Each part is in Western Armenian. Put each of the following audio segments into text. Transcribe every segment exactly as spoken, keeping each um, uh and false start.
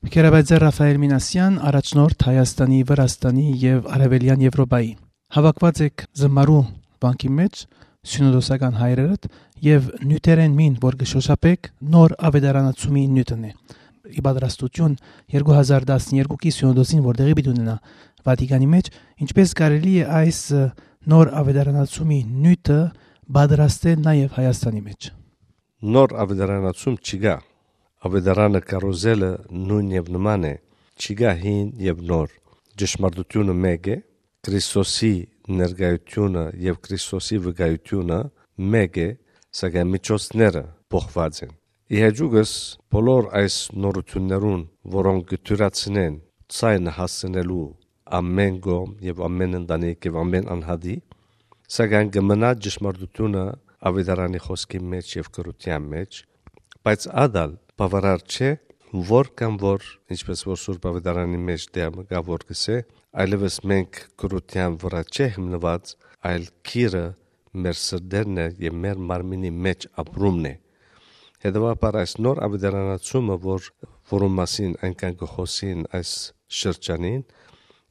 Քերաբաձայ Ռաֆայել Մինասեան, առաջնորդ Հայաստանի, Վրաստանի եւ Արեւելեան Եվրոպայի։ Հաւաքուած եք զմարու վանքի մէջ սիւնոդոսական հայրերդ եւ նիւթերէն մին, որ կը շօշափէք, նոր աւետարանացումի նիւթն է։ Ի պատրաստութիւն երկու հազար տասներկուքի սիւնոդոսին, որ տեղի պիտի ունենայ Վատիկանի մէջ, ինչպէս կարելի է այս, ը, նոր աւետարանացումի նիւթը պատրաստել նաեւ Հայաստանի մէջ։ Նոր աւետարանացում չի գայ։ Աւետարանը կարոզելը նոյն եւ նման է, չի գայ հին եւ նոր։ Ճշմարտութիւնը մէկ է, Քրիստոսի ներկայութիւնը եւ Քրիստոսի վկայութիւնը մէկ է, սակայն միջոցները փոխուած են։ Ի հեճուկս բոլոր այս նորութիւններուն, որոնք կը դիւրացնեն ձայնը հասցնելու ամէն կողմ եւ ամէն ընտանիք եւ ամէն անհատի, սակայն կը մնայ ճշմարտութիւնը աւետարանի խօսքի մէջ եւ գրութեան մէջ, բայց ատալ բաւարար չէ, որ կամ որ, ինչպես որ Սուրբ Աւետարանի մէջ դեր մը կայ, որ կ'ըսէ, այլեւս մենք գրութեան վրայ չէ հիմնուած, այլ կիրը մեր սրտերն է եւ մեր մարմինի մէջ ապրումն է։ Հետեւաբար այս նոր աւետարանացումը, որ, որուն մասին այնքան կը խօսին այս շրջանին,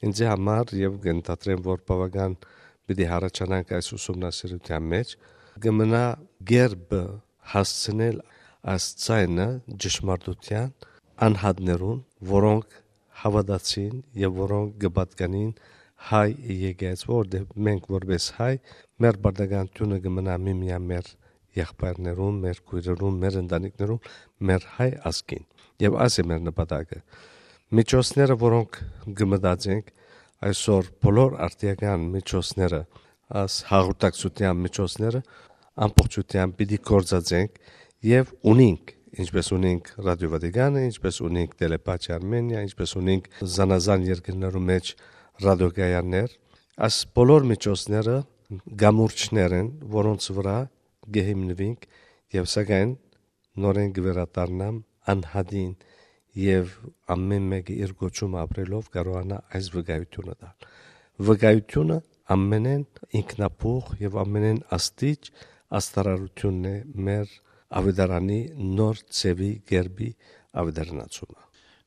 ինձի համար, եւ կ'ընտրեմ, որ բաւական պիտի յառաջանանք այս ուսումնասիրութեան մէջ, կը մնայ կերպը հասցնել այս ձայնը ճշմարտութեան անհատներուն, որոնք հաւատացին եւ որոնք կը պատկանին հայ եկեղեցի, որտեղ մենք որպես հայ, մեր պարտականութիւնը կը մնայ միմեան մեր եղբայրներուն, մեր քոյրերուն, մեր ընտանիքներուն, մեր հայ ազգին։ Եւ այս է մեր նպատակը։ Միջոցները, որոնք կը մտածենք այսօր, բոլոր արդիական միջոցները, այս հաղորդակցութեան միջոցները ամբողջութեամբ պիտի գործածենք եւ ունինք, ինչպես ունինք Ռադիո Վատիկանը, ինչպես ունինք Տելեպաթի Արմենիա, ինչպես ունինք զանազան երկրներու մէջ ռադիոկայաններ, այս բոլոր միջոցները կամուրջներ են, որոնց վրայ կը հիմնուինք եւ սակայն նորէն կը վերադառնամ անհատին եւ ամէն մէկը իր կոչումը ապրելով կարողանայ այս վկայութիւնը տալ։ Վկայութիւնը ամենէն ինքնաբուխ եւ ամենէն աստիճ աստարարութիւնն է մեր աւետարանի նոր ձեւի, կերպի աւետարանացումը։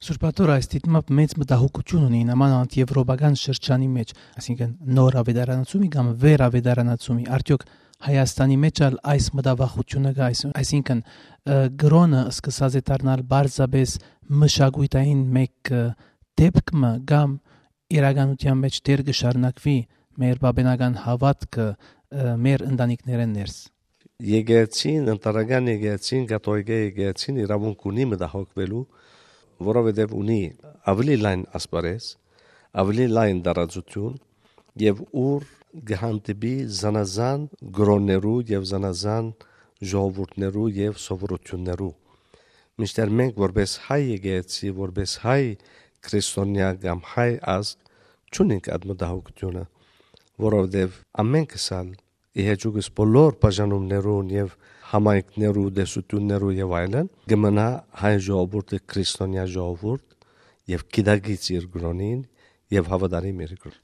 Սուրբ Աթոռ այս դիտմամբ մեծ մտահոգութիւն ունի, նամանավանդ եվրոպական շրջանի մէջ, այսինքն նոր աւետարանացումի կամ վեր աւետարանացումի, արդեօք Հայաստանի մէջ ալ այս մտավախութիւնը կայ, այսինքն, ը, կրօնը սկսած է դառնալ պարզապէս մշակոյթային մէկ, ը, դէպք մը, կամ իրականութեան մէջ դեռ կը շարունակուի մեր պապենական հաւատքը, ը, մեր ընտանիքներէն ներս։ Եկեղեցին, ընտանեկան եկեղեցին, կաթողիկէ եկեղեցին իրաւունք ունի մտահոգուելու, որովհետեւ ունի աւելի լայն ասպարէզ, աւելի լայն տարածութիւն եւ ուր կը հանդիպի զանազան կրօններու եւ զանազան ժողովուրդներու եւ սովորութիւններու։ Մինչդեռ մենք որպես հայ եկեղեցի, որպես հայ քրիստոնեայ կամ հայ ազգ չունենք այդ մտահոգութիւնը, որովհետեւ ամէնքս ալ ի հեճուկս բոլոր բաժանումներուն եւ համայնքներու, տեսութիւններու եւ այլն, կը մնայ հայ ժողովուրդը քրիստոնեայ ժողովուրդ եւ գիտակից իր կրօնին եւ հաւատարիմ իր կրօնին։